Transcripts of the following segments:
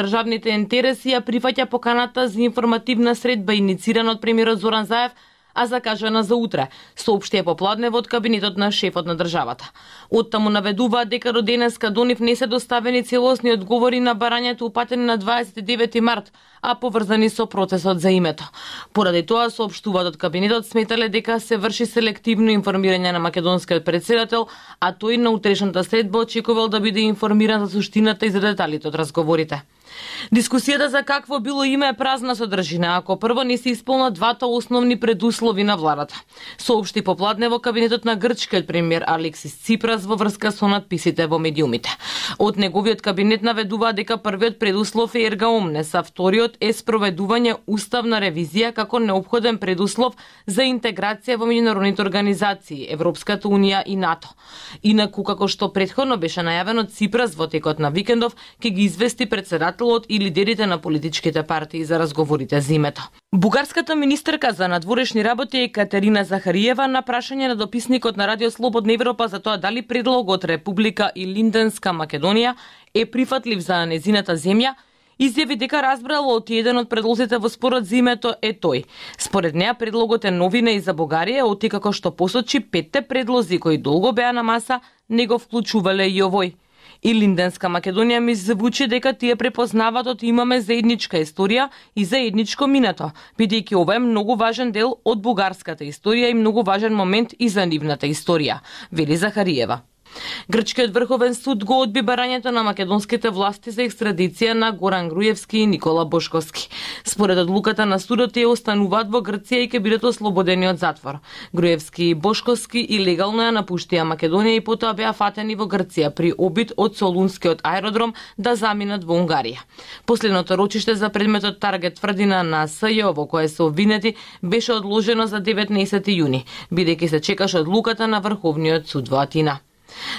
државните интереси ја прифаќа поканата за информативна средба иницирана од премиерот Зоран Заев, а закажана за утре, соопшти попладнево од кабинетот на шефот на државата. Оттаму наведуваат дека до денеска до нив не се доставени целосни одговори на барањето упатени на 29 март, а поврзани со процесот за името. Поради тоа, соопштуваат од кабинетот, сметале дека се врши селективно информирање на македонскиот претседател, а тој на утрешната средба очекувал да биде информиран за суштината и за деталите од разговорите. Дискусијата за какво било име е празна содржина, ако прво не се исполнат двата основни предуслови на владата. Соопшти попладнево кабинетот на грчкиот премиер Алексис Ципрас во врска со надписите во медиумите. Од неговиот кабинет наведува дека првиот предуслов е ерга омнес, а вториот е спроведување уставна ревизија како неопходен предуслов за интеграција во меѓународните организации, Европската унија и НАТО. Инаку, како што претходно беше најавено, Ципрас во текот на викендов ќе ги извести председателот и лидерите на политичките партии за разговорите за името. Бугарската министерка за надворешни работи Екатерина Захариева на прашање на дописникот на Радио Слободна Европа за тоа дали предлогот Република и Линденска Македонија е прифатлив за незината земја, изјави дека разбрала од еден од предлозите во спорот за името е тој. Според неа предлогот е новина и за Бугарија, оттекако што посочи 5 предлози кои долго беа на маса, не го вклучувале и овој. И Линденска Македонија ми звучи дека тие препознаваат од имаме заедничка историја и заедничко минато, бидејќи ова е многу важен дел од бугарската историја и многу важен момент и за нивната историја, вели Захариева. Грчкиот врховен суд го одби барањето на македонските власти за екстрадиција на Горан Груевски и Никола Бошковски. Според одлуката на судот тие остануваат во Грција и ќе бидат ослободени од затвор. Груевски и Бошковски илегално ја напуштија Македонија и потоа беа фатени во Грција при обид од Солунскиот аеродром да заминат во Унгарија. Последното рочиште за предметот Таргет тврдина на СЈО во кое се обвинети беше одложено за 19 јуни, бидејќи се чекаше одлуката на Врховниот суд во Атина.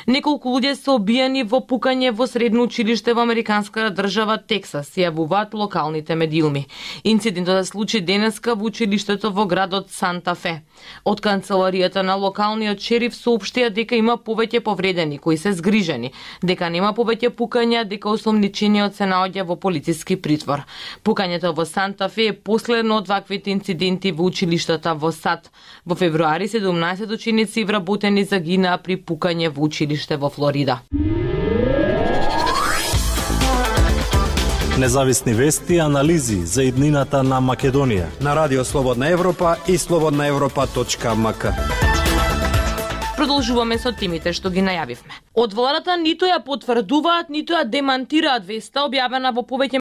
Неколку луѓе се обиени во пукање во средно училиште во американската држава Тексас, јавуваат локалните медиуми. Инцидентот се случи денеска во училиштето во градот Санта Фе. Од канцеларијата на локалниот шериф соопштија дека има повеќе повредени кои се згрижени, дека нема повеќе пукања, дека осомничениот се наоѓа во полициски притвор. Пукањето во Санта Фе е последно од ваквите инциденти во училиштата во САД. Во февруари 17 ученици вработени загинаа при пукање во училиште во Флорида. Независни вести и анализи за иднината на Македонија на Радио Слободна Европа и slobodnaevropa.mk. Продолжуваме со темите што ги најавивме. Од владата ниту ја потврдуваат, ниту ја демантираат веста објавена во повеќе